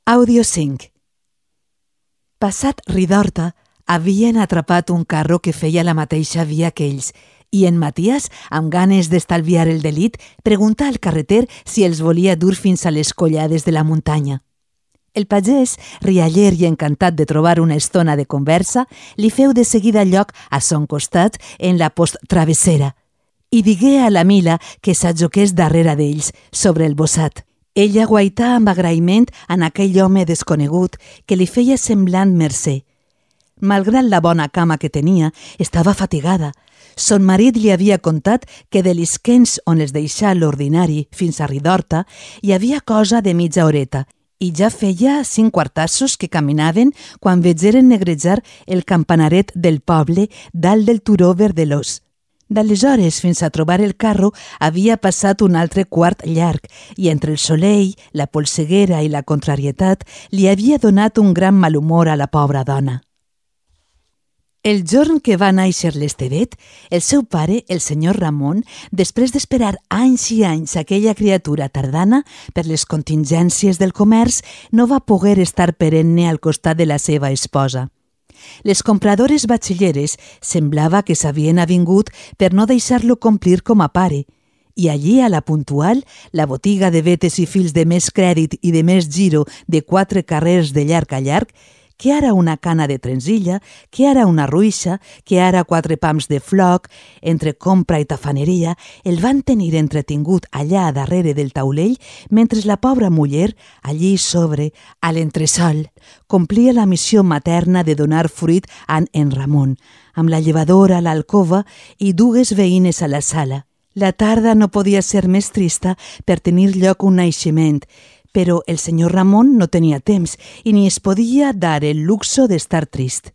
Àudio 5. Passat Ridorta, havien atrapat un carro que feia la mateixa via que ells i en Matías, amb ganes d'estalviar el delit, pregunta al carreter si els volia dur fins a les collades de la muntanya. El pagès, rialler i encantat de trobar una estona de conversa, li feu de seguida lloc a son costat en la posttravessera i digué a la Mila que s'ajoqués darrere d'ells, sobre el bossat. Ella guaità amb agraïment en aquell home desconegut que li feia semblant mercè. Malgrat la bona cama que tenia, estava fatigada. Son marit li havia contat que de l'Isquens on es deixà l'ordinari fins a Ridorta hi havia cosa de mitja horeta i ja feia 5 quartassos que caminaven quan vegeren negrejar el campanaret del poble dalt del turó verdelós. D'aleshores fins a trobar el carro havia passat un altre quart llarg i entre el soleil, la polseguera i la contrarietat li havia donat un gran malhumor a la pobra dona. El jorn que va néixer l'Estevet, el seu pare, el senyor Ramon, després d'esperar anys i anys aquella criatura tardana per les contingències del comerç, no va poder estar perenne al costat de la seva esposa. Les compradores batxilleres semblava que s'havien avingut per no deixar-lo complir com a pare, i allí, a la Puntual, la botiga de vetes i fils de més crèdit i de més giro de 4 carrers de llarg a llarg, que ara una cana de trenzilla, que ara una ruixa, que ara 4 pams de floc, entre compra i tafaneria, el van tenir entretingut allà darrere del taulell, mentre la pobra muller, allí sobre, a l'entresol, complia la missió materna de donar fruit a en Ramon, amb la llevadora a l'alcova i 2 veïnes a la sala. La tarda no podia ser més trista per tenir lloc un naixement, però el senyor Ramon no tenia temps i ni es podia dar el luxo d'estar trist.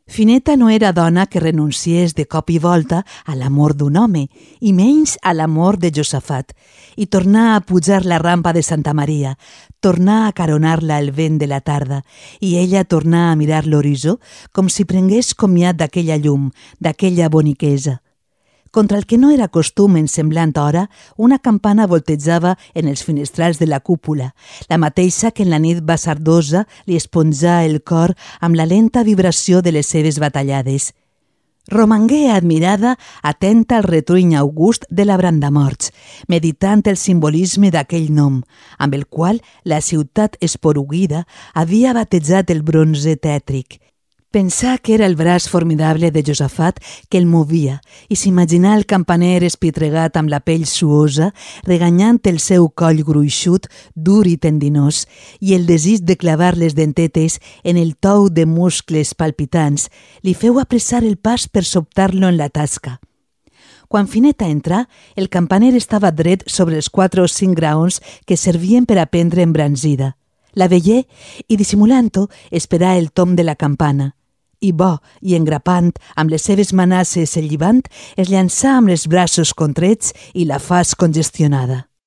Fineta no era dona que renunciés de cop i volta a l'amor d'un home, i menys a l'amor de Josafat, i tornar a pujar la rampa de Santa Maria, tornar a caronar-la el vent de la tarda, i ella tornar a mirar l'horitzó com si prengués comiat d'aquella llum, d'aquella boniquesa. Contra el que no era costum en semblant hora, una campana voltejava en els finestrals de la cúpula, la mateixa que en la nit basardosa li esponjà el cor amb la lenta vibració de les seves batallades. Romangué admirada, atenta al retruny august de la Brandamorts, meditant el simbolisme d'aquell nom, amb el qual la ciutat esporuguida havia batejat el bronze tètric. Pensà que era el braç formidable de Josafat que el movia i s'imaginà el campaner espitregat amb la pell suosa, reganyant el seu coll gruixut, dur i tendinós, i el desig de clavar les dentetes en el tou de muscles palpitants li feu apressar el pas per sobtar-lo en la tasca. Quan Fineta entrà, el campaner estava dret sobre els 4 o 5 graons que servien per a prendre embranzida. La veié i, dissimulant-ho, esperà el tom de la campana. I bo, i engrapant, amb les seves manasses el llibant, es llançà amb els braços contrets i la faç congestionada.